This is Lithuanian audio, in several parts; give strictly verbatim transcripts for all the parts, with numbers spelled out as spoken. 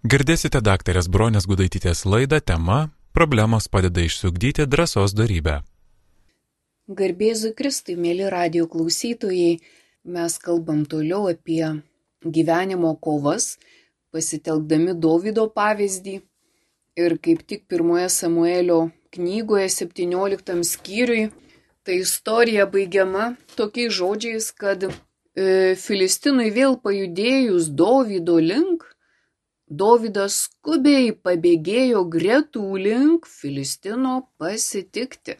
Girdėsite daktarės Bronės Gudaitytės laidą tema Problemos padeda išsiugdyti drąsos dorybę. Garbėzui Kristui, mėly radijo klausytojai, mes kalbam toliau apie gyvenimo kovas, pasitelkdami Dovydo pavyzdį. Ir kaip tik pirmoje Samuelio knygoje septynioliktam skyriui ta istorija baigiama tokiais žodžiais, kad e, Filistinui vėl pajudėjus Dovydo link, Dovydas skubiai pabėgėjo gretų link Filistino pasitikti.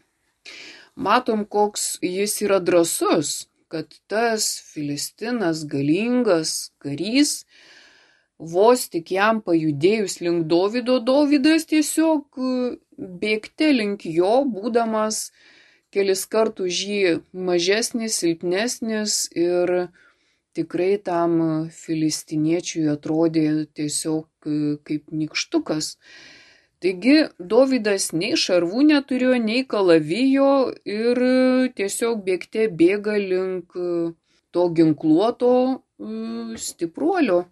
Matom, koks jis yra drąsus, kad tas Filistinas galingas karys, vos tik jam pajudėjus link Dovydo, Dovydas tiesiog bėgte link jo, būdamas kelis kartus jį mažesnis, silpnesnis ir tikrai tam filistiniečiui atrodė tiesiog kaip nykštukas. Taigi Dovydas nei šarvų neturėjo, nei kalavijo ir tiesiog bėgte bėga link to ginkluoto stipruolio.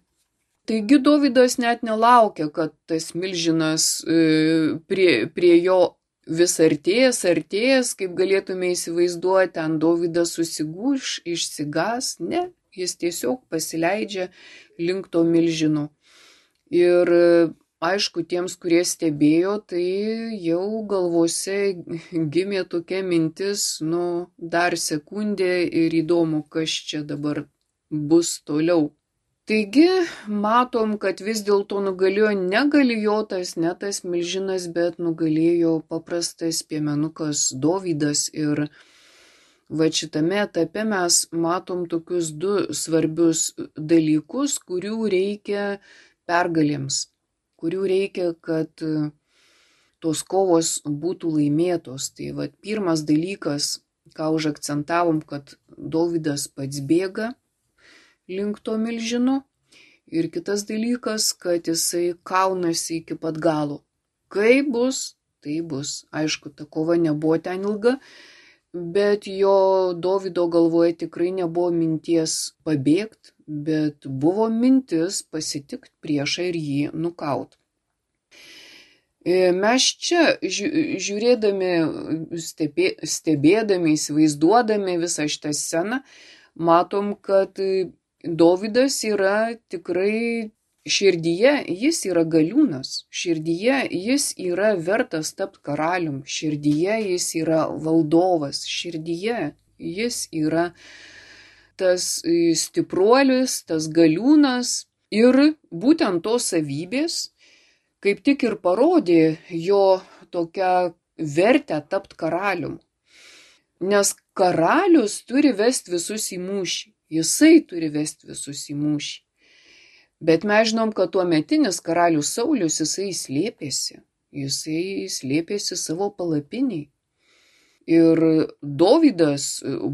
Taigi Dovydas net nelaukia, kad tas milžinas prie, prie jo vis artės, artės, kaip galėtume įsivaizduoti, ten Dovydas susigūš, išsigas, ne, jis tiesiog pasileidžia link to milžino. Ir aišku, tiems, kurie stebėjo, tai jau galvose gimė tokia mintis, nu, dar sekundė ir įdomu, kas čia dabar bus toliau. Taigi, matom, kad vis dėlto nugalėjo ne Galijotas, ne tas milžinas, bet nugalėjo paprastas piemenukas Dovydas. Ir va šitame etape mes matom tokius du svarbius dalykus, kurių reikia pergalėms, kurių reikia, kad tos kovos būtų laimėtos. Tai va pirmas dalykas, ką užakcentavom, kad Dovydas pats bėga link to milžino. Ir kitas dalykas, kad jisai kaunasi iki pat galo. Kai bus, tai bus. Aišku, ta kova nebuvo ten ilga, bet jo Dovydo galvoje tikrai nebuvo minties pabėgti, bet buvo mintis pasitikti priešą ir jį nukaut. Mes čia žiūrėdami, stebė, stebėdami, įsivaizduodami visą šitą sceną, matom, kad Dovydas yra tikrai širdyje, jis yra galiūnas, širdyje jis yra vertas tapti karalium, širdyje jis yra valdovas, širdyje jis yra tas stipruolis, tas galiūnas ir būtent tos savybės kaip tik ir parodė jo tokią vertę tapti karalium. Nes karalius turi vesti visus į mūšį. Jisai turi vesti visus į mūšį. Bet mes žinom, kad tuometinis karalius Saulius, jisai slėpėsi. Jisai slėpėsi savo palapiniai. Ir Dovydas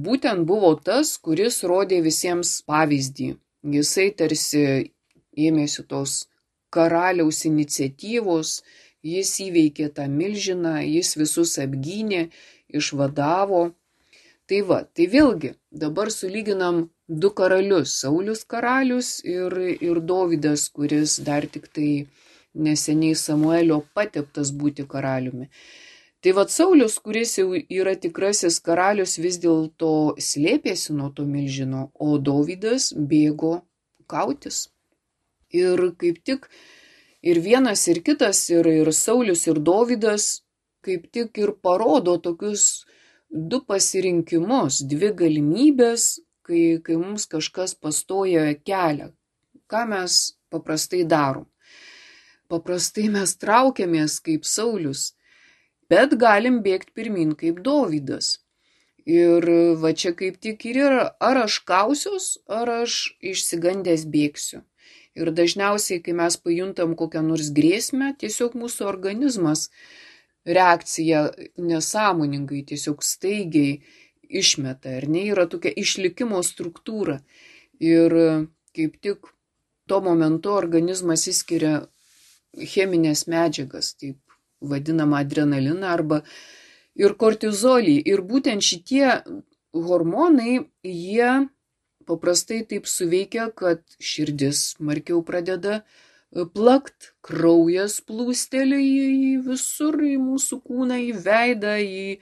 būtent buvo tas, kuris rodė visiems pavyzdį. Jisai tarsi ėmėsi tos karaliaus iniciatyvos, jis įveikė tą milžiną, jis visus apgynė, išvadavo. Tai va, tai vėlgi, dabar sulyginam du karalius, Saulius karalius ir, ir Dovydas, kuris dar tik tai neseniai Samuelio pateptas būti karaliumi. Tai va, Saulius, kuris jau yra tikrasis karalius, vis dėlto slėpėsi nuo to milžino, o Dovydas bėgo kautis. Ir kaip tik ir vienas, ir kitas, ir, ir Saulius, ir Dovydas kaip tik ir parodo tokius du pasirinkimus, dvi galimybės, kai, kai mums kažkas pastoja kelią. Ką mes paprastai darom? Paprastai mes traukiamės kaip Saulius, bet galim bėgti pirmin kaip Dovydas. Ir va čia kaip tik ir yra, ar aš kausiuos, ar aš išsigandęs bėgsiu. Ir dažniausiai, kai mes pajuntam kokią nors grėsmę, tiesiog mūsų organizmas reakcija nesąmoningai, tiesiog staigiai išmeta, ar ne, yra tokia išlikimo struktūra. Ir kaip tik tuo momentu organizmas įskiria cheminės medžiagas, taip vadinamą adrenaliną arba ir kortizolį. Ir būtent šitie hormonai, jie paprastai taip suveikia, kad širdis smarkiau pradeda plakt, kraujas plūsteli į visur, į mūsų kūną, į veidą, į,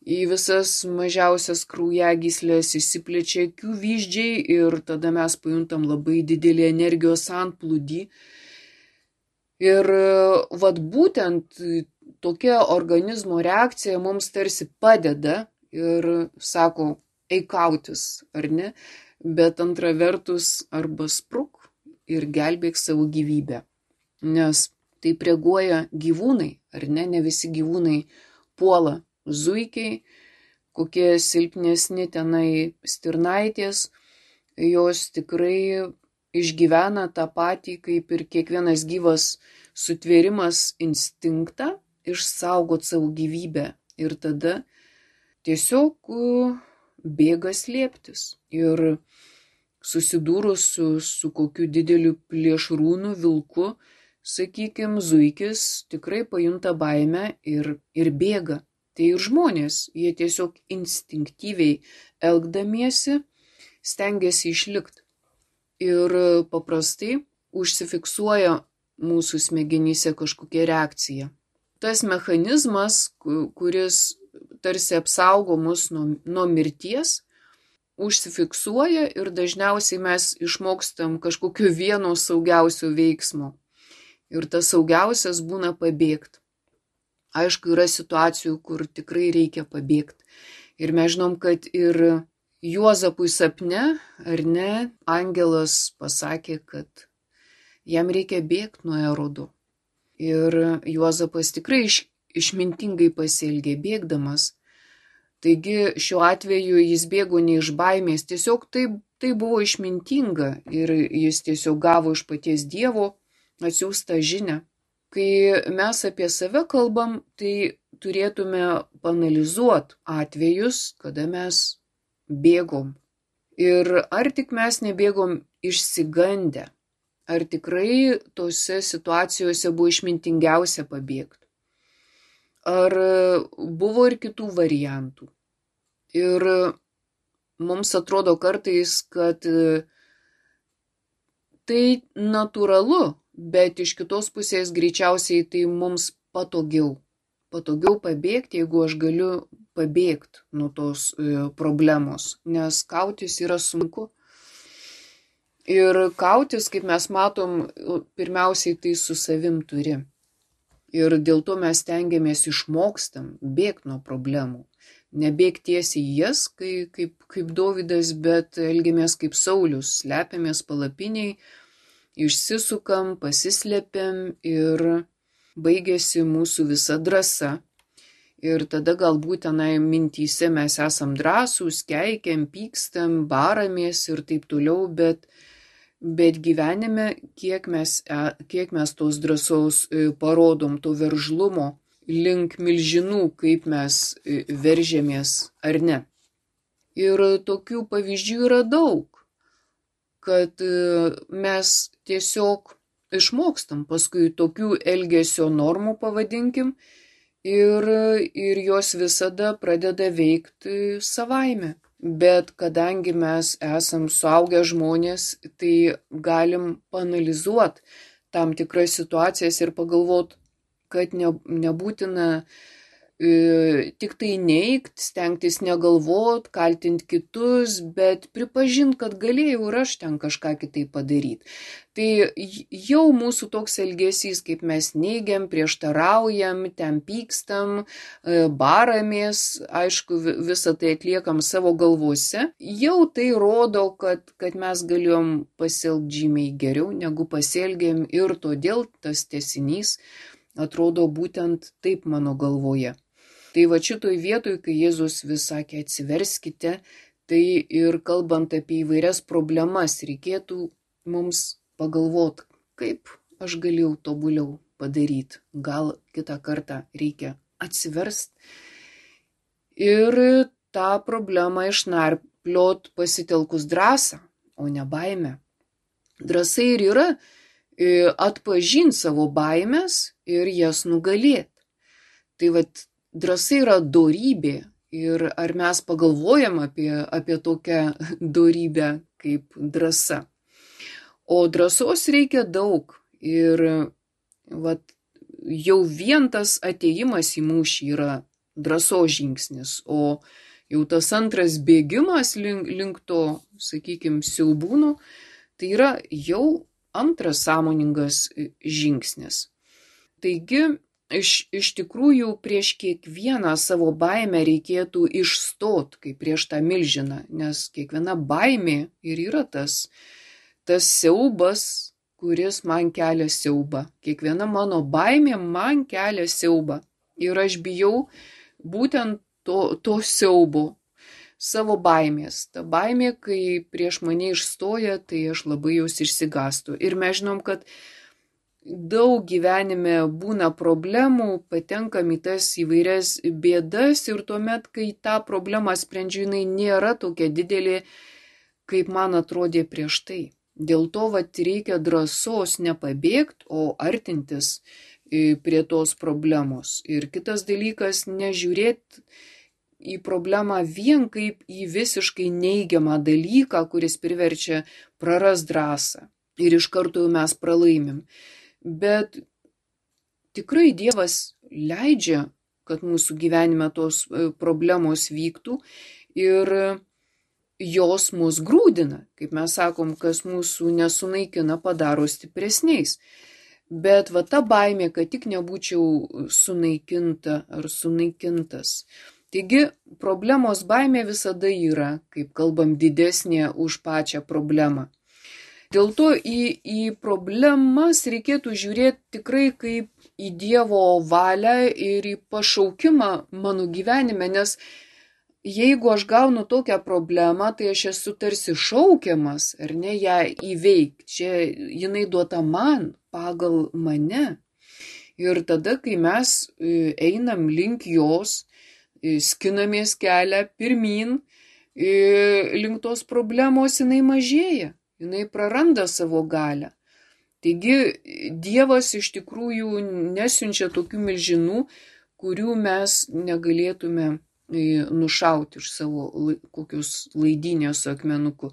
į visas mažiausias kraujagyslės, išsiplečia akių vyzdžiai ir tada mes pajuntam labai didelį energijos antplūdį. Ir vat būtent tokia organizmo reakcija mums tarsi padeda ir sako, eik kautis, ar ne? Bet antra vertus arba spruk ir gelbėk savo gyvybę. Nes taip reaguoja gyvūnai, ar ne? Ne visi gyvūnai puola zuikiai, kokie silpnesni tenai stirnaitės, jos tikrai išgyvena tą patį, kaip ir kiekvienas gyvas sutvėrimas instinktą išsaugot savo gyvybę ir tada tiesiog bėga slėptis. Ir susidūrus su, su kokiu dideliu plėšrūnu, vilku, sakykim, zuikis tikrai pajunta baimę ir, ir bėga. Tai ir žmonės, jie tiesiog instinktyviai elgdamiesi stengiasi išlikti. Ir paprastai užsifiksuoja mūsų smegenyse kažkokia reakcija. Tas mechanizmas, kuris tarsi apsaugo mus nuo, nuo mirties, užsifiksuoja ir dažniausiai mes išmokstam kažkokio vieno saugiausio veiksmo. Ir tas saugiausias būna pabėgti. Aišku, yra situacijų, kur tikrai reikia pabėgti. Ir mes žinom, kad ir Juozapui sapne, ar ne, angelas pasakė, kad jam reikia bėgti nuo Erodo. Ir Juozapas tikrai iš, išmintingai pasielgė bėgdamas. Taigi šiuo atveju jis bėgo ne iš baimės, tiesiog tai, tai buvo išmintinga ir jis tiesiog gavo iš paties Dievo atsiųstą žinią. Kai mes apie save kalbam, tai turėtume panalizuoti atvejus, kada mes bėgom. Ir ar tik mes nebėgom išsigandę, ar tikrai tose situacijose buvo išmintingiausia pabėgti. Ar buvo ir kitų variantų. Ir mums atrodo kartais, kad tai natūralu, bet iš kitos pusės greičiausiai tai mums patogiau. Patogiau pabėgti, jeigu aš galiu pabėgti nuo tos problemos, nes kautis yra sunku. Ir kautis, kaip mes matom, pirmiausiai tai su savim turi. Ir dėl to mes stengiamės išmokstam bėgti nuo problemų. Nebėgti tiesiai į jas, kaip, kaip, kaip Dovydas, bet elgiamės kaip Saulius, slepiamės palapiniai, išsisukam, pasislepiam ir baigėsi mūsų visa drąsa. Ir tada galbūt tenai mintyse mes esam drąsūs, keikiam, pykstam, baramės ir taip toliau, bet, bet gyvenime, kiek mes, kiek mes tos drąsos parodom, to veržlumo link milžinų, kaip mes veržėmės ar ne. Ir tokių pavyzdžių yra daug, kad mes tiesiog išmokstam paskui tokių elgesio normų, pavadinkim, ir, ir jos visada pradeda veikti savaime. Bet kadangi mes esam suaugę žmonės, tai galim paanalizuoti tam tikras situacijas ir pagalvoti, kad ne, nebūtina e, tik tai neigt, stengtis negalvot, kaltinti kitus, bet pripažinti, kad galėjau ir aš ten kažką kitai padaryti. Tai jau mūsų toks elgesys, kaip mes neigiam, prieštaraujam, ten pykstam, baramės, aišku, visą tai atliekam savo galvose, jau tai rodo, kad, kad mes galėjom pasielgti žymiai geriau, negu pasielgėm ir todėl tas tęsinys atrodo būtent taip mano galvoje. Tai va šitoj vietoj, kai Jėzus vis sakė atsiverskite, tai ir kalbant apie įvairias problemas, reikėtų mums pagalvoti, kaip aš galėjau tobuliau padaryti. Gal kitą kartą reikia atsiverst ir tą problemą išnarpliot pasitelkus drąsą, o ne baimę. Drąsa ir yra atpažinti savo baimės ir jas nugalėti. Tai vat drąsa yra dorybė ir ar mes pagalvojam apie, apie tokią dorybę kaip drąsa. O drąsos reikia daug Ir vat, jau vien tas atėjimas į mūšį yra drąsos žingsnis, o jau tas antras bėgimas link, link to, sakykime, siaubūno, tai yra jau antras sąmoningas žingsnis. Taigi, iš, iš tikrųjų prieš kiekvieną savo baimę reikėtų išstot, kaip prieš tą milžiną, nes kiekviena baimė ir yra tas, tas siaubas, kuris man kelia siaubą. Kiekviena mano baimė man kelia siaubą. Ir aš bijau būtent to, to siaubo, savo baimės. Ta baimė, kai prieš mane išstoja, tai aš labai jos išsigastu. Ir mes žinom, kad daug gyvenime būna problemų, patenkam į tas įvairias bėdas ir tuomet, kai tą problemą sprendžiu, jinai nėra tokia didelė, kaip man atrodė prieš tai. Dėl to vat, reikia drąsos nepabėgti, o artintis prie tos problemos. Ir kitas dalykas, nežiūrėti į problemą vien kaip į visiškai neigiamą dalyką, kuris priverčia prarast drąsą. Ir iš karto mes pralaimim. Bet tikrai Dievas leidžia, kad mūsų gyvenime tos problemos vyktų ir jos mus grūdina, kaip mes sakom, kas mūsų nesunaikina, padaro stipresniais. Bet va ta baimė, kad tik nebūčiau sunaikinta ar sunaikintas. Taigi problemos baimė visada yra, kaip kalbam, didesnė už pačią problemą. Dėl to į, į problemas reikėtų žiūrėti tikrai kaip į Dievo valią ir į pašaukimą mano gyvenime, nes jeigu aš gaunu tokią problemą, tai aš esu tarsi šaukiamas, ar ne, ją įveikti. Čia jinai duota man, pagal mane. Ir tada, kai mes einam link jos, skinamės kelią pirmin, link tos problemos jinai mažėja, jinai praranda savo galią. Taigi Dievas iš tikrųjų nesiunčia tokių milžinų, kurių mes negalėtume nušauti iš savo kokius laidynės akmenukų.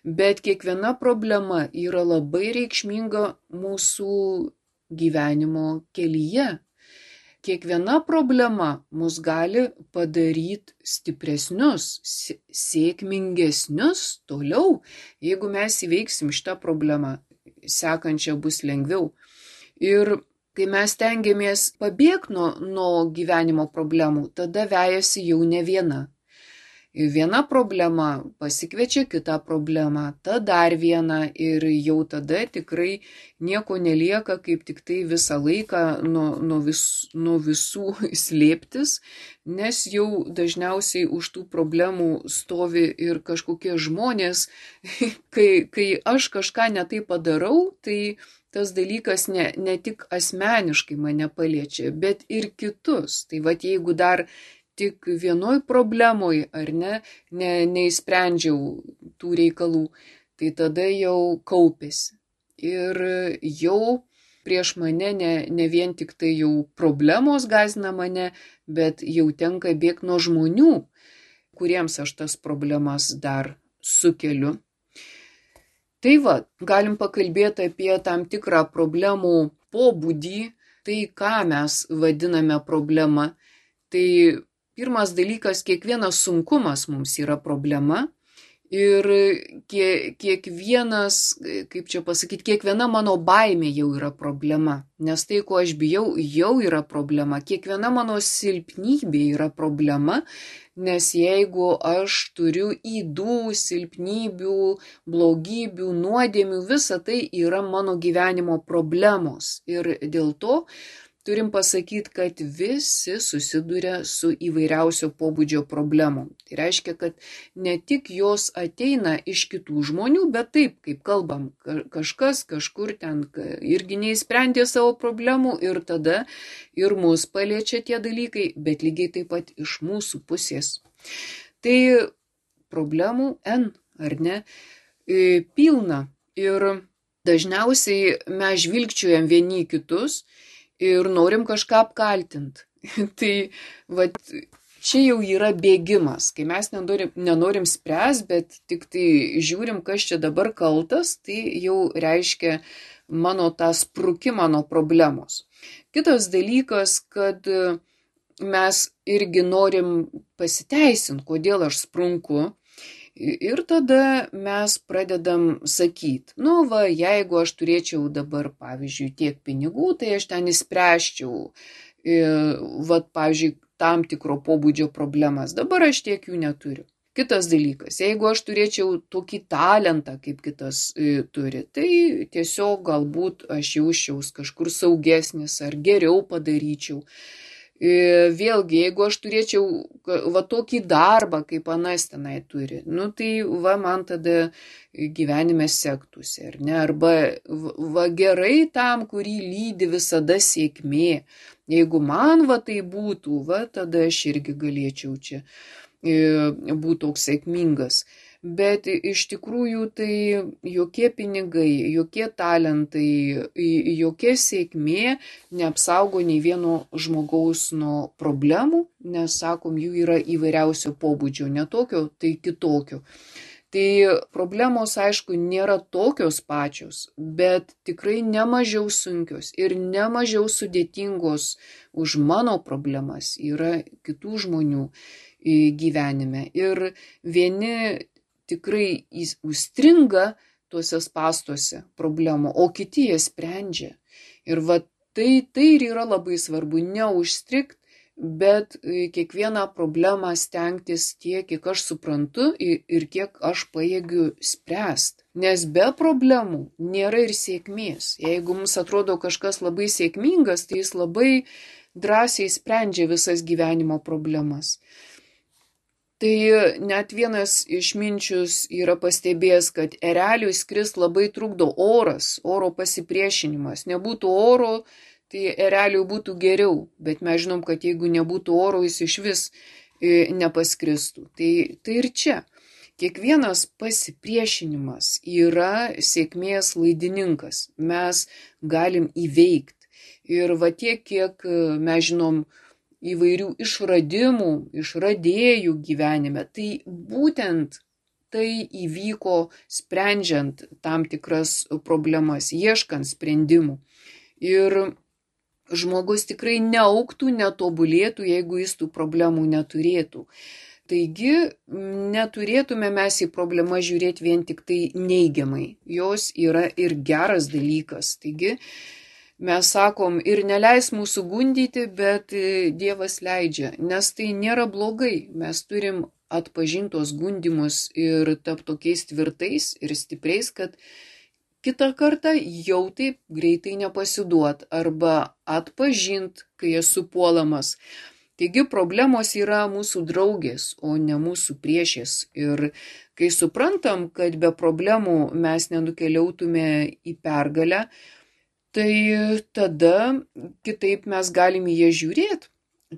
Bet kiekviena problema yra labai reikšminga mūsų gyvenimo kelyje. Kiekviena problema mus gali padaryti stipresnius, sėkmingesnius toliau. Jeigu mes įveiksim šitą problemą, sekančią bus lengviau. Ir kai mes stengiamės pabėgti nuo, nuo gyvenimo problemų, tada vejasi jau ne viena. Viena problema pasikviečia kitą problemą, ta dar viena ir jau tada tikrai nieko nelieka, kaip tik tai visą laiką nuo, nuo, vis, nuo visų slėptis, nes jau dažniausiai už tų problemų stovi ir kažkokie žmonės, kai, kai aš kažką ne taip padarau, tai tas dalykas ne, ne tik asmeniškai mane paliečia, bet ir kitus. Tai vat jeigu dar tik vienoj problemoj, ar ne, ne, neįsprendžiau tų reikalų, tai tada jau kaupėsi. Ir jau prieš mane ne, ne vien tik tai jau problemos gąsdina mane, bet jau tenka bėgti nuo žmonių, kuriems aš tas problemas dar sukeliu. Tai va, galim pakalbėti apie tam tikrą problemų pobūdį, tai ką mes vadiname problema. Tai pirmas dalykas, kiekvienas sunkumas mums yra problema ir kie, kiekvienas, kaip čia pasakyti, kiekviena mano baimė jau yra problema, nes tai, ko aš bijau, jau yra problema. Kiekviena mano silpnybė yra problema, nes jeigu aš turiu ydų, silpnybių, blogybių, nuodėmių, visa tai yra mano gyvenimo problemos. Ir dėl to turim pasakyti, kad visi susiduria su įvairiausio pobūdžio problemom. Tai reiškia, kad ne tik jos ateina iš kitų žmonių, bet taip, kaip kalbam, kažkas kažkur ten irgi neįsprendė savo problemų ir tada ir mus paliečia tie dalykai, bet lygiai taip pat iš mūsų pusės. Tai problemų N, ar ne, pilna. Ir dažniausiai mes žvilgčiojam vieni kitus ir norim kažką apkaltinti. Tai vat, čia jau yra bėgimas, kai mes nenorim, nenorim spręs, bet tik tai žiūrim, kas čia dabar kaltas, tai jau reiškia mano tą sprukimą nuo problemos. Kitas dalykas, kad mes irgi norim pasiteisinti, kodėl aš sprunku. Ir tada mes pradedam sakyti, nu va, jeigu aš turėčiau dabar, pavyzdžiui, tiek pinigų, tai aš ten įspręsčiau, va, pavyzdžiui, tam tikro pobūdžio problemas. Dabar aš tiek jų neturiu. Kitas dalykas, jeigu aš turėčiau tokį talentą, kaip kitas e, turi, tai tiesiog galbūt aš jausčiaus kažkur saugesnis ar geriau padaryčiau. E, vėlgi, jeigu aš turėčiau va tokį darbą, kaip anas tenai turi, nu tai va man tada gyvenime sektųsi, ar ne? Arba va gerai tam, kurį lydi visada sėkmė. Jeigu man va tai būtų, va tada aš irgi galėčiau čia būtų toks sėkmingas. Bet iš tikrųjų tai jokie pinigai, jokie talentai, jokia sėkmė neapsaugo nei vieno žmogaus nuo problemų, nes, sakom, jų yra įvairiausio pobūdžio, ne tokio, tai kitokio. Tai problemos, aišku, nėra tokios pačios, bet tikrai nemažiau sunkios ir nemažiau sudėtingos už mano problemas yra kitų žmonių gyvenime. Ir vieni tikrai užstringa tuose spąstuose problemų, o kiti jie sprendžia. Ir va tai, tai ir yra labai svarbu, neužstrigt, bet kiekvieną problemą stengtis tiek, kiek aš suprantu ir kiek aš pajėgiu spręsti. Nes be problemų nėra ir sėkmės. Jeigu mums atrodo kažkas labai sėkmingas, tai jis labai drąsiai sprendžia visas gyvenimo problemas. Tai net vienas išminčius yra pastebėjęs, kad ereliui skrist labai trukdo oras, oro pasipriešinimas. Nebūtų oro, tai ereliui būtų geriau, bet mes žinom, kad jeigu nebūtų oro, jis iš vis nepaskristų. Tai, tai ir čia. Kiekvienas pasipriešinimas yra sėkmės laidininkas. Mes galim įveikti. Ir va tiek, kiek mes žinom įvairių išradimų, išradėjų gyvenime, tai būtent tai įvyko sprendžiant tam tikras problemas, ieškant sprendimų. Ir žmogus tikrai neaugtų, netobulėtų, jeigu jis tų problemų neturėtų. Taigi neturėtume mes į problemą žiūrėti vien tik tai neigiamai. Jos yra ir geras dalykas. Taigi mes sakom, ir neleis mūsų gundyti, bet Dievas leidžia, nes tai nėra blogai. Mes turim atpažintos gundimus ir tapti tokiais tvirtais ir stipriais, kad kitą kartą jau taip greitai nepasiduot arba atpažint, kai esu puolamas. Taigi problemos yra mūsų draugės, o ne mūsų priešės. Ir kai suprantam, kad be problemų mes nenukeliautume į pergalę, tai tada kitaip mes galim į ją žiūrėti.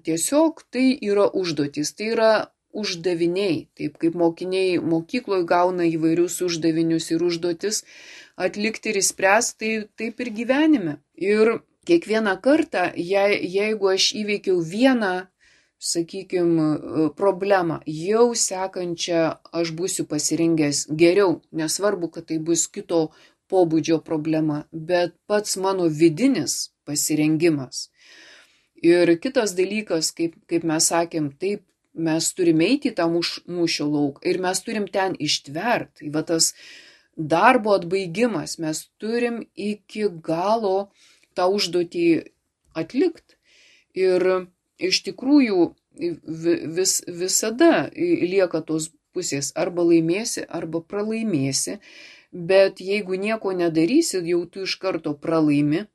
Tiesiog tai yra užduotis, tai yra uždaviniai. Taip kaip mokiniai mokykloje gauna įvairius uždavinius ir užduotis atlikti ir įspręsti, tai taip ir gyvenime. Ir kiekvieną kartą, je, jeigu aš įveikiau vieną, sakykime, problemą, jau sekančią aš būsiu pasirengęs geriau. Nesvarbu, kad tai bus kito pobūdžio problema, bet pats mano vidinis pasirengimas. Ir kitas dalykas, kaip, kaip mes sakėm, taip, mes turime eiti į tą mūšio lauką ir mes turim ten ištverti. Va tas darbo atbaigimas, mes turim iki galo tą užduotį atlikti. Ir iš tikrųjų vis, visada lieka tos pusės, arba laimėsi, arba pralaimėsi. Bet jeigu nieko nedarysi, jau tu iš karto pralaimi,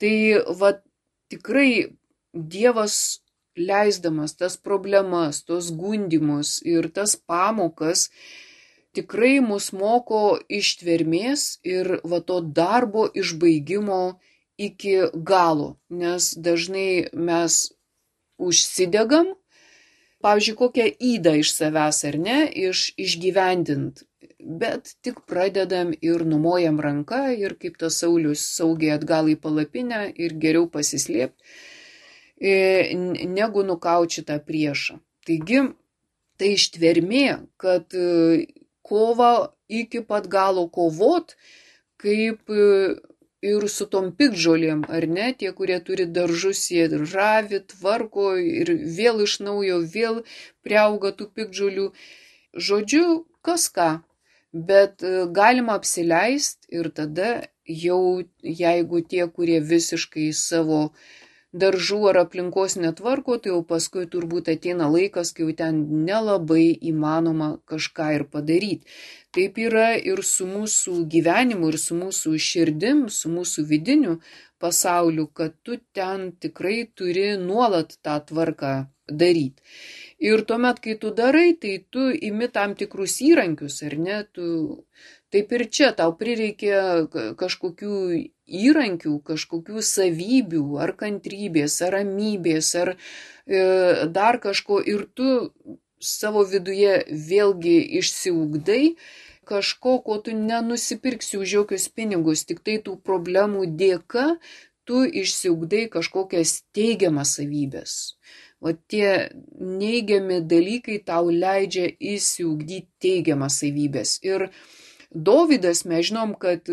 tai va tikrai Dievas leisdamas tas problemas, tos gundimus ir tas pamokas, tikrai mus moko ištvermės ir va to darbo išbaigimo iki galo, nes dažnai mes užsidegam, pavyzdžiui, kokią ydą iš savęs ar ne, iš, išgyvendint. Bet tik pradedam ir numojam ranką ir kaip tas Saulius saugiai atgal į palapinę ir geriau pasislėpti, negu nukauti tą priešą. Taigi, tai ištvermė, kad kovą iki pat galo kovot, kaip ir su tom piktžolėm, ar ne, tie, kurie turi daržus, jie ravi, tvarko ir vėl iš naujo, vėl priauga tų piktžolių. Žodžiu, kas ką, bet galima apsileisti ir tada jau, jeigu tie, kurie visiškai savo daržų ar aplinkos netvarko, tai jau paskui turbūt ateina laikas, kai jau ten nelabai įmanoma kažką ir padaryti. Taip yra ir su mūsų gyvenimu, ir su mūsų širdim, su mūsų vidiniu pasauliu, kad tu ten tikrai turi nuolat tą tvarką daryti. Ir tuomet, kai tu darai, tai tu imi tam tikrus įrankius, ar ne? Tu, taip ir čia tau prireikia kažkokių įrankių, kažkokių savybių, ar kantrybės, ar ramybės, ar e, dar kažko. Ir tu savo viduje vėlgi išsiugdai kažko, ko tu nenusipirksi už jokius pinigus, tik tai tų problemų dėka tu išsiugdai kažkokias teigiamas savybės. O tie neigiami dalykai tau leidžia įsiugdyti teigiamas savybės. Ir Dovydas, mes žinom, kad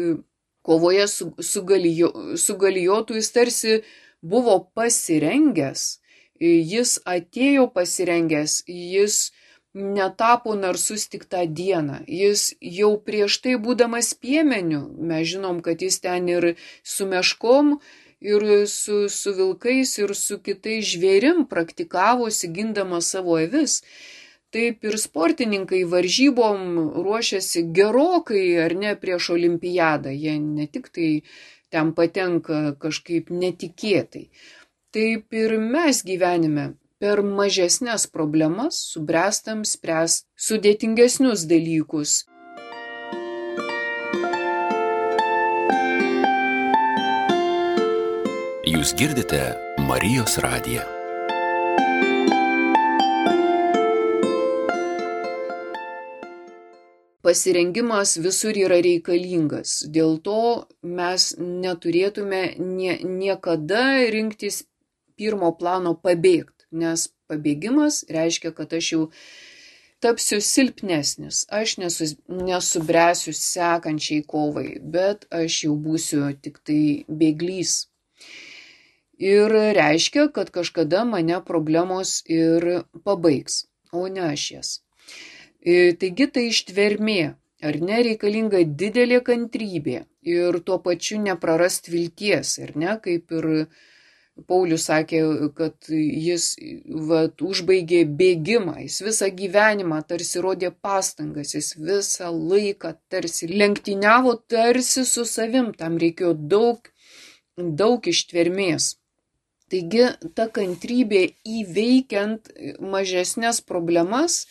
kovoje su, su, galijo, su Galijotu jis tarsi buvo pasirengęs, jis atėjo pasirengęs, jis netapo narsus tik tą dieną, jis jau prieš tai būdamas piemeniu, mes žinom, kad jis ten ir su meškom, ir su, su vilkais, ir su kitais žvėrim praktikavosi gindamas savo avis. Taip ir sportininkai varžybom ruošiasi gerokai, ar ne, prieš olimpiadą. Jie ne tik tai ten patenka kažkaip netikėtai. Taip ir mes gyvenime per mažesnės problemas subręstam spręsti sudėtingesnius dalykus. Jūs girdite Marijos radiją. Pasirengimas visur yra reikalingas. Dėl to mes neturėtume nie, niekada rinktis pirmo plano pabėgti, nes pabėgimas reiškia, kad aš jau tapsiu silpnesnis, aš nesu, nesubręsiu sekančiai kovai, bet aš jau būsiu tik tai bėglys. Ir reiškia, kad kažkada mane problemos ir pabaigs, o ne aš jas. Taigi tai ištvermė, ar ne, reikalinga didelė kantrybė ir tuo pačiu neprarast vilties, ar ne, kaip ir Paulius sakė, kad jis vat, užbaigė bėgimą, jis visą gyvenimą tarsi rodė pastangas, jis visą laiką tarsi lenktyniavo tarsi su savim, tam reikėjo daug, daug ištvermės. Taigi ta kantrybė įveikiant mažesnės problemas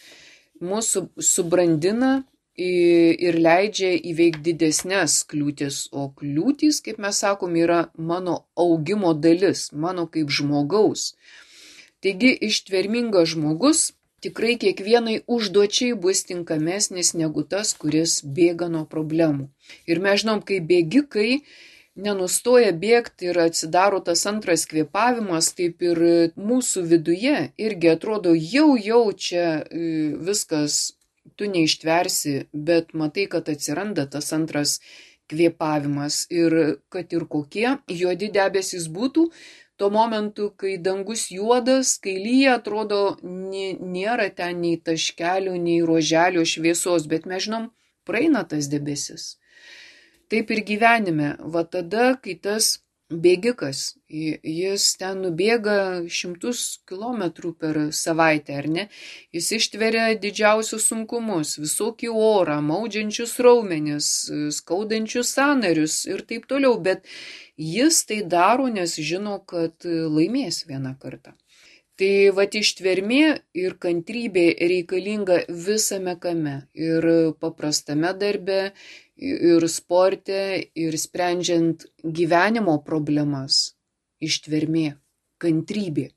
mūsų subrandina ir leidžia įveikti didesnės kliūtis, o kliūtys, kaip mes sakom, yra mano augimo dalis, mano kaip žmogaus. Taigi ištvermingas žmogus tikrai kiekvienai užduočiai bus tinkamesnis negu tas, kuris bėga nuo problemų. Ir mes žinom, kai bėgikai nenustoja bėgti ir atsidaro tas antras kvėpavimas, taip ir mūsų viduje irgi atrodo jau jau čia viskas, tu neištversi, bet matai, kad atsiranda tas antras kvėpavimas ir kad ir kokie juodi debesys būtų, tuo momentu, kai dangus juodas, kai lyja, atrodo nėra ten nei taškelių, nei ruoželio šviesos, bet mes žinom, praeina tas debesis. Taip ir gyvenime, va tada, kai tas bėgikas, jis ten nubėga šimtus kilometrų per savaitę, ar ne? Jis ištveria didžiausius sunkumus, visokį orą, maudžiančius raumenis, skaudančius sąnarius ir taip toliau, bet jis tai daro, nes žino, kad laimės vieną kartą. Tai vat ištvermė ir kantrybė reikalinga visame kame, ir paprastame darbe, ir sporte, ir sprendžiant gyvenimo problemas. Ištvermė, kantrybė.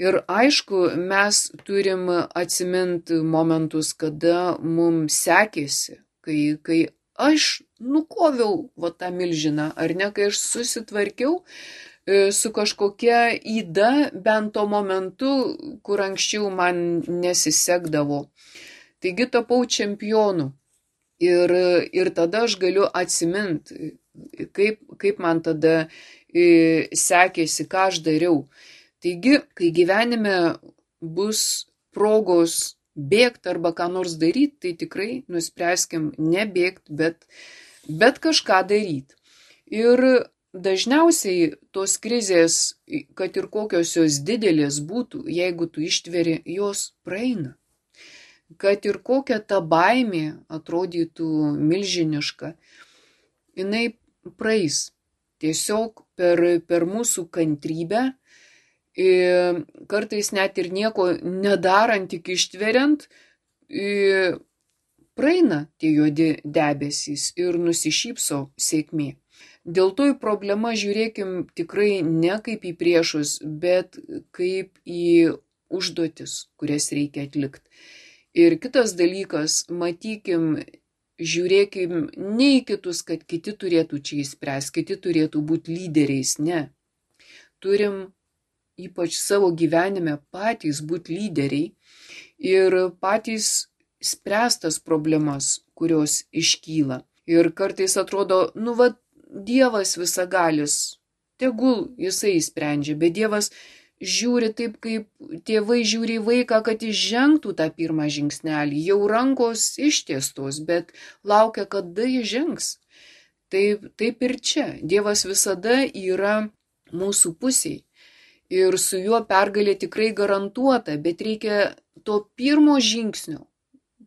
Ir aišku, mes turim atsiminti momentus, kada mums sekėsi, kai, kai aš nukoviau va tą milžiną, ar ne, kai aš susitvarkiau su kažkokia yda bent to momentu, kur anksčiau man nesisekdavo. Taigi tapau čempionu. Ir, ir tada aš galiu atsiminti kaip, kaip man tada e, sekėsi, ką aš dariau. Taigi, kai gyvenime bus progos bėgti arba ką nors daryti, tai tikrai nuspręskim nebėgti, bet, bet kažką daryti. Ir dažniausiai tos krizės, kad ir kokios jos didelės būtų, jeigu tu ištveri, jos praeina. Kad ir kokia ta baimė atrodytų milžiniška, jinai praeis. Tiesiog per, per mūsų kantrybę, kartais net ir nieko nedarant, tik ištveriant, praeina tie juodi debesys ir nusišypso sėkmė. Dėl to į problemą žiūrėkim tikrai ne kaip į priešus, bet kaip į užduotis, kurias reikia atlikti. Ir kitas dalykas, matykim, žiūrėkim ne į kitus, kad kiti turėtų čia įspręs, kiti turėtų būti lyderiais, ne. Turim ypač savo gyvenime patys būti lyderiai ir patys spręstas problemas, kurios iškyla. Ir kartais atrodo, nu va, Dievas visagalis, tegul jisai sprendžia, bet Dievas žiūri taip, kaip tėvai žiūri į vaiką, kad jis žengtų tą pirmą žingsnelį. Jau rankos ištiestos, bet laukia, kada jis žengs. Taip, taip ir čia. Dievas visada yra mūsų pusėje. Ir su juo pergalė tikrai garantuota, bet reikia to pirmo žingsnio.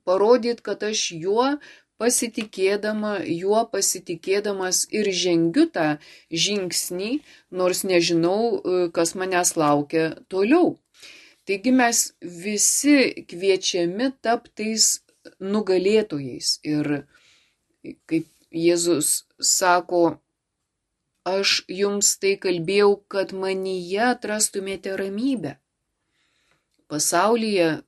Parodyti, kad aš juo pasitikėdama, juo pasitikėdamas ir žengiu tą žingsnį, nors nežinau, kas manęs laukia toliau. Taigi mes visi kviečiami taptais nugalėtojais. Ir kaip Jėzus sako, aš jums tai kalbėjau, kad manyje atrastumėte ramybę. Pasaulyje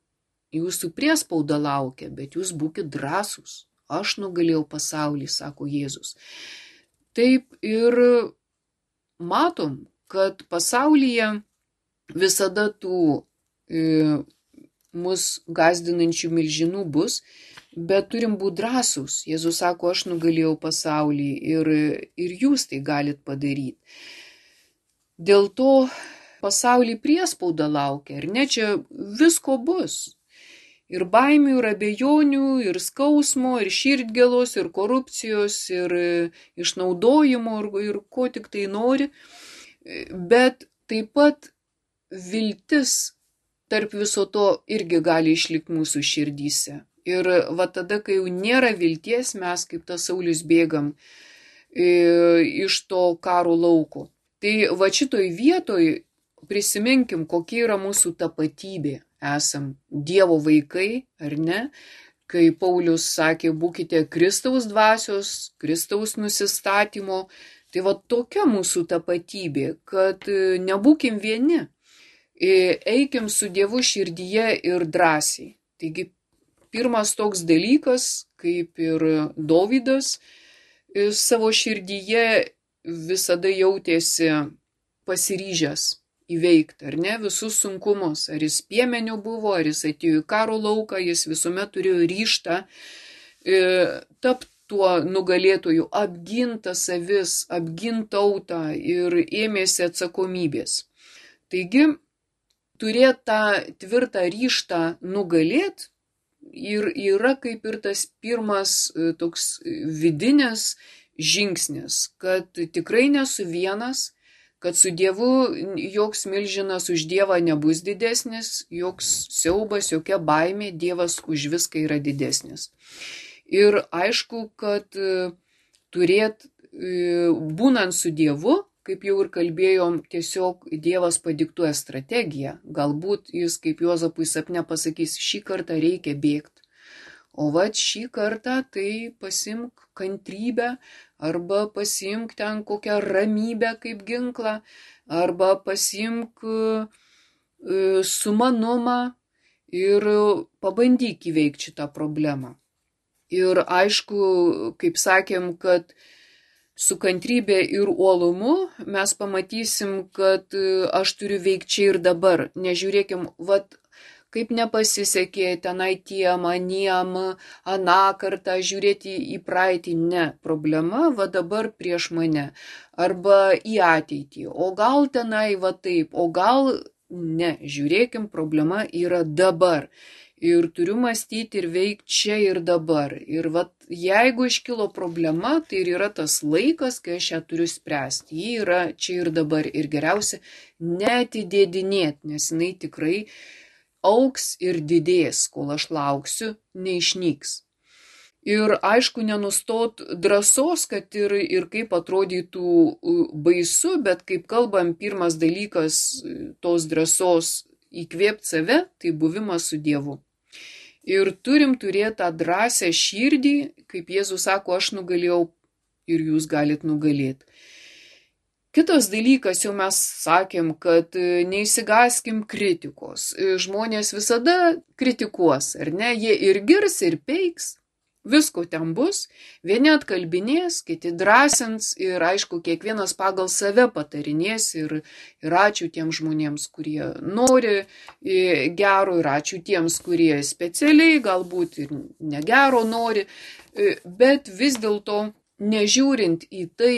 jūsų priespauda laukia, bet jūs būkit drąsūs. Aš nugalėjau pasaulį, sako Jėzus. Taip ir matom, kad pasaulyje visada tų e, mus gąsdinančių milžinų bus, bet turim būti drąsūs. Jėzus sako, aš nugalėjau pasaulį ir, ir jūs tai galit padaryti. Dėl to pasaulį priespauda laukia, ir ne čia visko bus. Ir baimių, ir abejonių, ir skausmo, ir širdgėlos, ir korupcijos, ir išnaudojimo, ir, ir ko tik tai nori. Bet taip pat viltis tarp viso to irgi gali išlikti mūsų širdyse. Ir va tada, kai jau nėra vilties, mes kaip tas Saulius bėgam e, iš to karo lauko. Tai va šitoj vietoj prisiminkim, kokia yra mūsų tapatybė. Esam Dievo vaikai, ar ne? Kai Paulius sakė, būkite Kristaus dvasios, Kristaus nusistatymo, tai va tokia mūsų tapatybė, kad nebūkim vieni, eikim su Dievu širdyje ir drąsiai. Taigi pirmas toks dalykas, kaip ir Dovydas savo širdyje visada jautėsi pasiryžęs įveikti, ar ne, visus sunkumus. Ar jis piemeniu buvo, ar jis atėjo į karo lauką, jis visuomet turėjo ryžtą e, tapti tuo nugalėtoju, apginta savis, apginta tautą ir ėmėsi atsakomybės. Taigi, turėti tą tvirtą ryžtą nugalėti ir yra kaip ir tas pirmas toks vidinis žingsnis, kad tikrai nesu vienas, kad su Dievu joks milžinas už Dievą nebus didesnis, joks siaubas, jokia baimė, Dievas už viską yra didesnis. Ir aišku, kad turėt, būnant su Dievu, kaip jau ir kalbėjom, tiesiog Dievas padiktuoja strategiją. Galbūt jis, kaip Juozapui sapne pasakys, šį kartą reikia bėgti. O vat šį kartą tai pasimk kantrybę, arba pasimk ten kokią ramybę kaip ginklą, arba pasimk sumanumą ir pabandyk įveikti šitą problemą. Ir aišku, kaip sakėm, kad su kantrybė ir uolumu mes pamatysim, kad aš turiu veikti čia ir dabar. Nežiūrėkim, vat, kaip nepasisekė tenai tiem, aniem, aną kartą žiūrėti į praeitį. Ne, problema va dabar prieš mane. Arba į ateitį. O gal tenai va taip, o gal ne. Žiūrėkim, problema yra dabar. Ir turiu mąstyti ir veikti čia ir dabar. Ir vat, jeigu iškilo problema, tai ir yra tas laikas, kai aš ją turiu spręsti. Ji yra čia ir dabar. Ir geriausia neatidėdinėti, nes jinai tikrai auks ir didės, kol aš lauksiu, neišnyks. Ir aišku, nenustot drąsos, kad ir, ir kaip atrodytų baisu, bet kaip kalbam, pirmas dalykas tos drąsos įkvėpti save, tai buvimas su Dievu. Ir turim turėti tą drąsią širdį, kaip Jėzus sako, aš nugalėjau ir jūs galit nugalėti. Kitas dalykas, jau mes sakėm, kad neįsigaskim kritikos. Žmonės visada kritikuos, ar ne? Jie ir girs, ir peiks. Visko ten bus, vieni atkalbinės, kiti drąsins ir aišku, kiekvienas pagal save patarinės ir, ir ačiū tiems žmonėms, kurie nori gero ir ačiū tiems, kurie specialiai galbūt ir negero nori, bet vis dėlto nežiūrint į tai,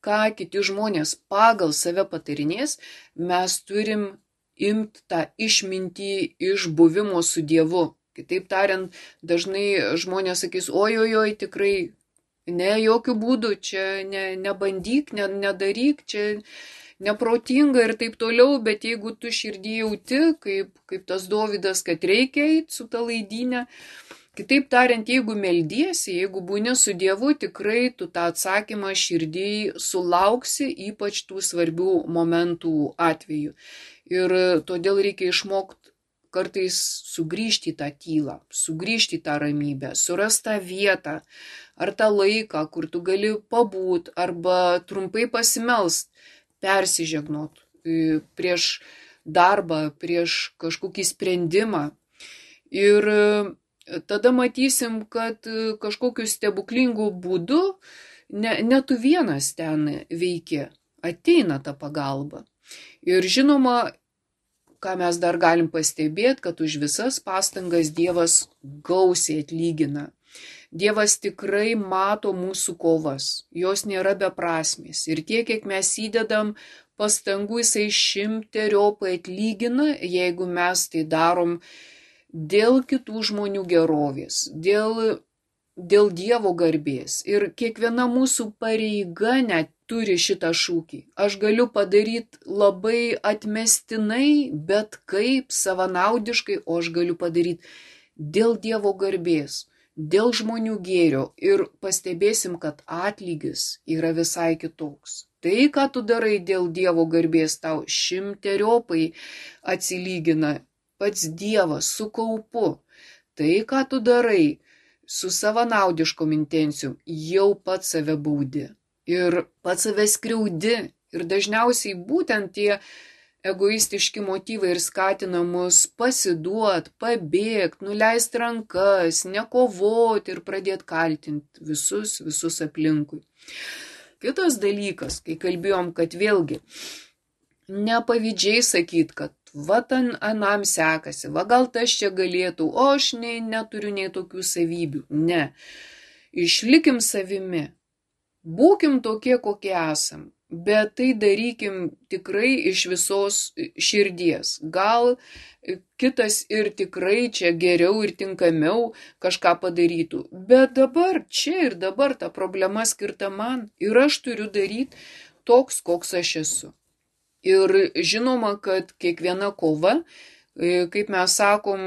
ką kiti žmonės pagal save patarinės, mes turim imti tą išmintį iš buvimo su Dievu. Kitaip tariant, dažnai žmonės sakys, oi, oi, oi, tikrai, ne, jokių būdų, čia ne, nebandyk, ne, nedaryk, čia neprotinga ir taip toliau, bet jeigu tu širdį jauti, kaip, kaip tas Dovydas, kad reikia eiti su ta laidynė, kitaip tariant, jeigu meldiesi, jeigu būni su Dievu, tikrai tu tą atsakymą širdį sulauksi, ypač tų svarbių momentų atveju. Ir todėl reikia išmokti kartais sugrįžti į tą tylą, sugrįžti į tą ramybę, surasti tą vietą ar tą laiką, kur tu gali pabūt arba trumpai pasimelst, persižegnot prieš darbą, prieš kažkokį sprendimą. Ir tada matysim, kad kažkokiu stebuklingu būdu ne, ne tu vienas ten veiki, ateina ta pagalba. Ir žinoma, ką mes dar galim pastebėti, kad už visas pastangas Dievas gausiai atlygina. Dievas tikrai mato mūsų kovas, jos nėra beprasmės. Ir tiek, kiek mes įdedam pastangų, jisai šimteriopai atlygina, jeigu mes tai darom dėl kitų žmonių gerovės, dėl, dėl Dievo garbės. Ir kiekviena mūsų pareiga net turi šitą šūkį. Aš galiu padaryti labai atmestinai, bet kaip savanaudiškai, o aš galiu padaryti dėl Dievo garbės, dėl žmonių gėrio. Ir pastebėsim, kad atlygis yra visai kitoks. Tai, ką tu darai dėl Dievo garbės, tau šimteriopai atsilygina pats Dievas su kaupu. Tai, ką tu darai su savanaudiškom intencijom, jau pats save baudi. Ir pats save skriaudi. Ir dažniausiai būtent tie egoistiški motyvai ir skatina mus pasiduot, pabėgt, nuleist rankas, nekovoti ir pradėti kaltinti visus, visus aplinkui. Kitas dalykas, kai kalbėjom, kad vėlgi nepavydžiai sakyt, kad va ten anam sekasi, va gal tas čia galėtų, o aš nei, neturiu nei tokių savybių. Ne. Išlikim savimi. Būkim tokie, kokie esam, bet tai darykim tikrai iš visos širdies. Gal kitas ir tikrai čia geriau ir tinkamiau kažką padarytų, bet dabar, čia ir dabar ta problema skirta man ir aš turiu daryti toks, koks aš esu. Ir žinoma, kad kiekviena kova, kaip mes sakom,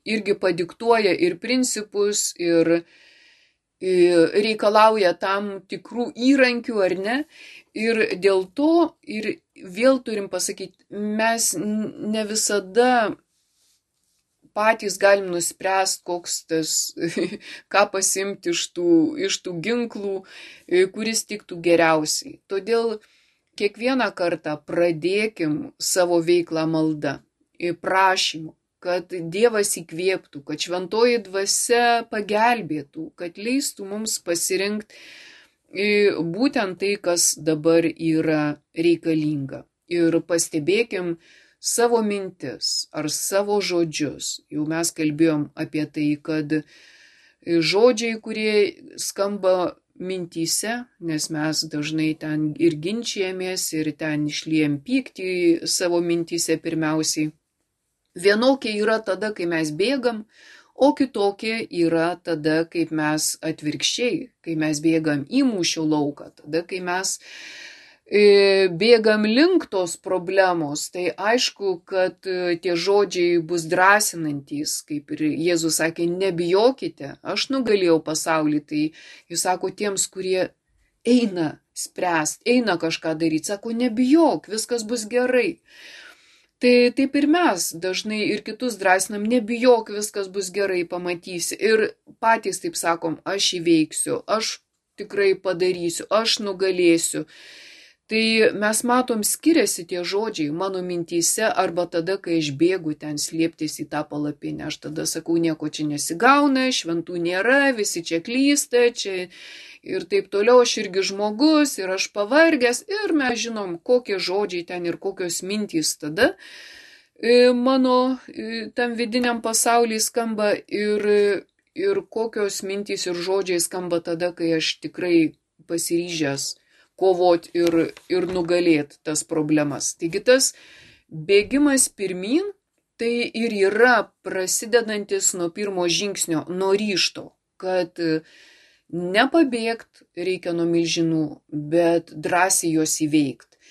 irgi padiktuoja ir principus, ir reikalauja tam tikrų įrankių, ar ne? Ir dėl to, ir vėl turim pasakyti, mes ne visada patys galim nuspręsti, koks tas, ką pasimti iš tų, iš tų ginklų, kuris tiktų geriausiai. Todėl kiekvieną kartą pradėkim savo veiklą malda, prašymu, kad Dievas įkvėptų, kad šventoji dvasia pagelbėtų, kad leistų mums pasirinkti būtent tai, kas dabar yra reikalinga. Ir pastebėkim savo mintis ar savo žodžius. Jau mes kalbėjom apie tai, kad žodžiai, kurie skamba mintyse, nes mes dažnai ten ir ginčijamės, ir ten išliejam pyktį savo mintyse pirmiausiai. Vienokie yra tada, kai mes bėgam, o kitokie yra tada, kaip mes atvirkščiai, kai mes bėgam į mūšio lauką, tada, kai mes e, bėgam link tos problemos. Tai aišku, kad e, tie žodžiai bus drąsinantys, kaip ir Jėzus sakė, nebijokite, aš nugalėjau pasaulį. Tai jis sako tiems, kurie eina spręst, eina kažką daryti, sako nebijok, viskas bus gerai. Tai taip ir mes dažnai ir kitus drąsinam, nebijok, viskas bus gerai, pamatysi. Ir patys taip sakom, aš įveiksiu, aš tikrai padarysiu, aš nugalėsiu. Tai mes matom, skiriasi tie žodžiai mano mintyse arba tada, kai aš bėgu ten slėptis į tą palapinę. Aš tada sakau, nieko čia nesigauna, šventų nėra, visi čia klysta, čia ir taip toliau, aš irgi žmogus ir aš pavargęs. Ir mes žinom, kokie žodžiai ten ir kokios mintys tada mano tam vidiniam pasaulyje skamba ir, ir kokios mintys ir žodžiai skamba tada, kai aš tikrai pasiryžęs kovot ir, ir nugalėti tas problemas. Taigi tas bėgimas pirmin, tai ir yra prasidedantis nuo pirmo žingsnio, nuo ryžto, kad nepabėgt reikia nuo milžinų, bet drąsiai juos įveikti.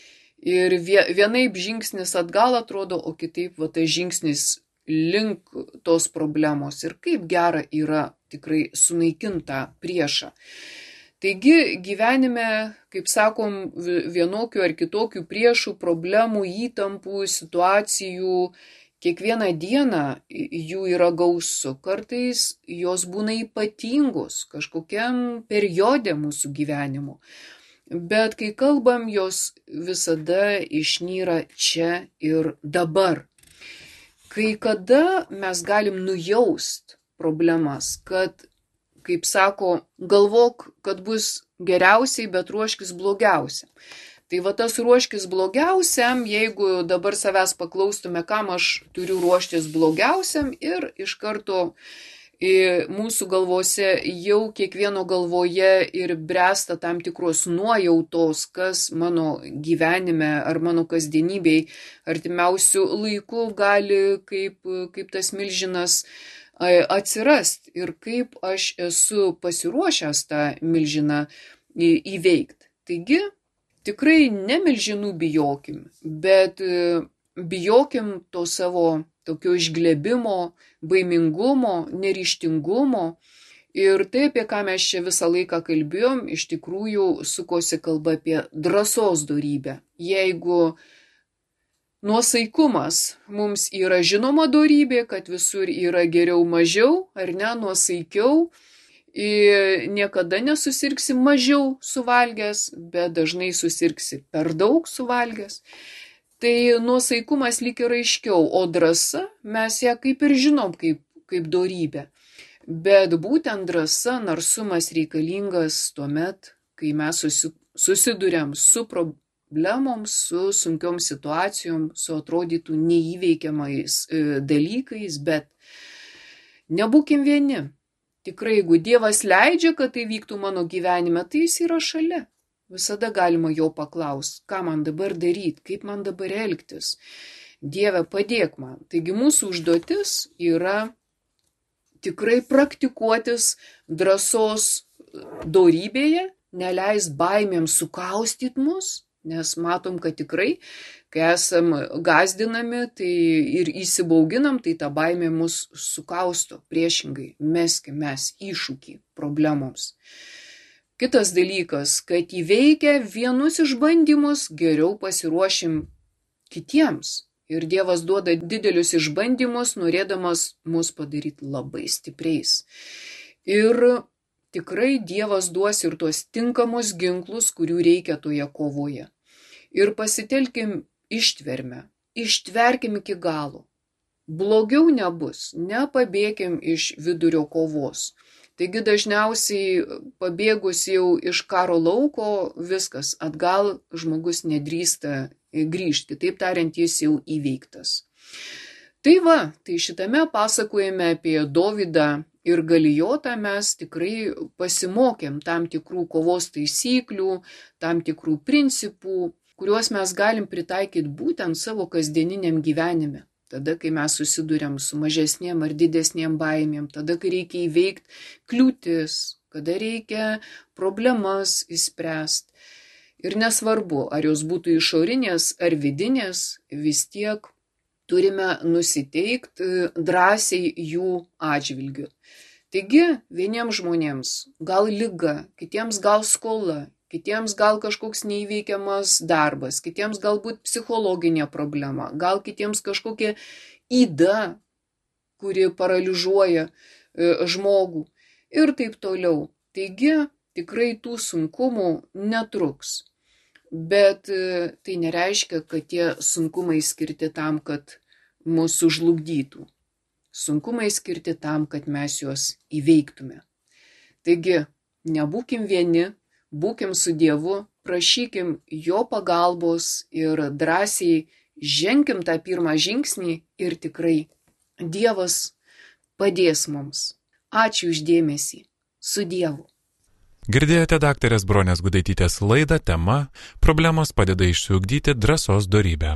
Ir vienaip žingsnis atgal atrodo, o kitaip va, tas žingsnis link tos problemos. Ir kaip gera yra tikrai sunaikinta priešą. Taigi gyvenime, kaip sakom, vienokių ar kitokių priešų, problemų, įtampų, situacijų, kiekvieną dieną jų yra gausu. Kartais jos būna ypatingos kažkokiam periode mūsų gyvenimo. Bet kai kalbam, jos visada išnyra čia ir dabar. Kai kada mes galim nujaust problemas, kad kaip sako, galvok, kad bus geriausiai, bet ruoškis blogiausiam. Tai va tas ruoškis blogiausiam, jeigu dabar savęs paklaustume, kam aš turiu ruoštis blogiausiam, ir iš karto mūsų galvose jau kiekvieno galvoje ir bręsta tam tikros nuojautos, kas mano gyvenime ar mano kasdienybėj artimiausių laikų gali kaip, kaip tas milžinas atsirast ir kaip aš esu pasiruošęs tą milžiną įveikti. Taigi, tikrai ne milžinų bijokim, bet bijokim to savo tokio išglebimo, baimingumo, neryžtingumo. Ir tai, apie ką mes čia visą laiką kalbėjom, iš tikrųjų sukosi kalba apie drąsos dorybę. Jeigu nuosaikumas mums yra žinoma dorybė, kad visur yra geriau mažiau, ar ne, nuosaikiau, ir niekada nesusirgsi mažiau suvalgęs, bet dažnai susirgsi per daug suvalgęs. Tai nuosaikumas lyg ir aiškiau, o drąsa mes ją kaip ir žinom kaip, kaip dorybę. Bet būtent drąsa, narsumas reikalingas tuomet, kai mes susiduriam su problemomis, problemoms, su sunkiom situacijom, su atrodytų neįveikiamais dalykais, bet nebūkim vieni. Tikrai, jeigu Dievas leidžia, kad tai vyktų mano gyvenime, tai jis yra šalia. Visada galima jo paklausti, ką man dabar daryti, kaip man dabar elgtis. Dieve, padėk man. Taigi mūsų užduotis yra tikrai praktikuotis drąsos dorybėje, neleist baimėms sukaustyti mus. Nes matom, kad tikrai, kai esam gazdinami tai ir įsibauginam, tai ta baimė mus sukausto. Priešingai, meskim mes iššūkį problemoms. Kitas dalykas, kad įveikę vienus išbandymus, geriau pasiruošim kitiems. Ir Dievas duoda didelius išbandymus, norėdamas mus padaryti labai stipriais. Ir tikrai Dievas duos ir tuos tinkamus ginklus, kurių reikia toje kovoje. Ir pasitelkim ištvermę, ištverkim iki galo. Blogiau nebus, nepabėkim iš vidurio kovos. Taigi dažniausiai pabėgus jau iš karo lauko, viskas, atgal žmogus nedrįsta grįžti. Kitaip tariant, jis jau įveiktas. Tai va, tai šitame pasakojime apie Dovydą ir Galijotą mes tikrai pasimokėm tam tikrų kovos taisyklių, tam tikrų principų, kuriuos mes galim pritaikyti būtent savo kasdieniniam gyvenime. Tada, kai mes susiduriam su mažesnėm ar didesnėm baimėm, tada, kai reikia įveikti kliūtis, kada reikia problemas įspręsti. Ir nesvarbu, ar jos būtų išorinės ar vidinės, vis tiek turime nusiteikti drąsiai jų atžvilgiu. Taigi, vieniems žmonėms gal liga, kitiems gal skola, kitiems gal kažkoks neįveikiamas darbas, kitiems galbūt psichologinė problema, gal kitiems kažkokia yda, kuri paralyžuoja žmogų ir taip toliau. Taigi, tikrai tų sunkumų netruks. Bet tai nereiškia, kad tie sunkumai skirti tam, kad mus sužlugdytų. Sunkumai skirti tam, kad mes juos įveiktume. Taigi, nebūkim vieni, būkim su Dievu, prašykim jo pagalbos ir drąsiai ženkim tą pirmą žingsnį ir tikrai Dievas padės mums. Ačiū už dėmesį. Su Dievu. Girdėjote daktarės Bronės Gudaitytės laidą tema Problemos padeda išsiugdyti drąsos dorybę.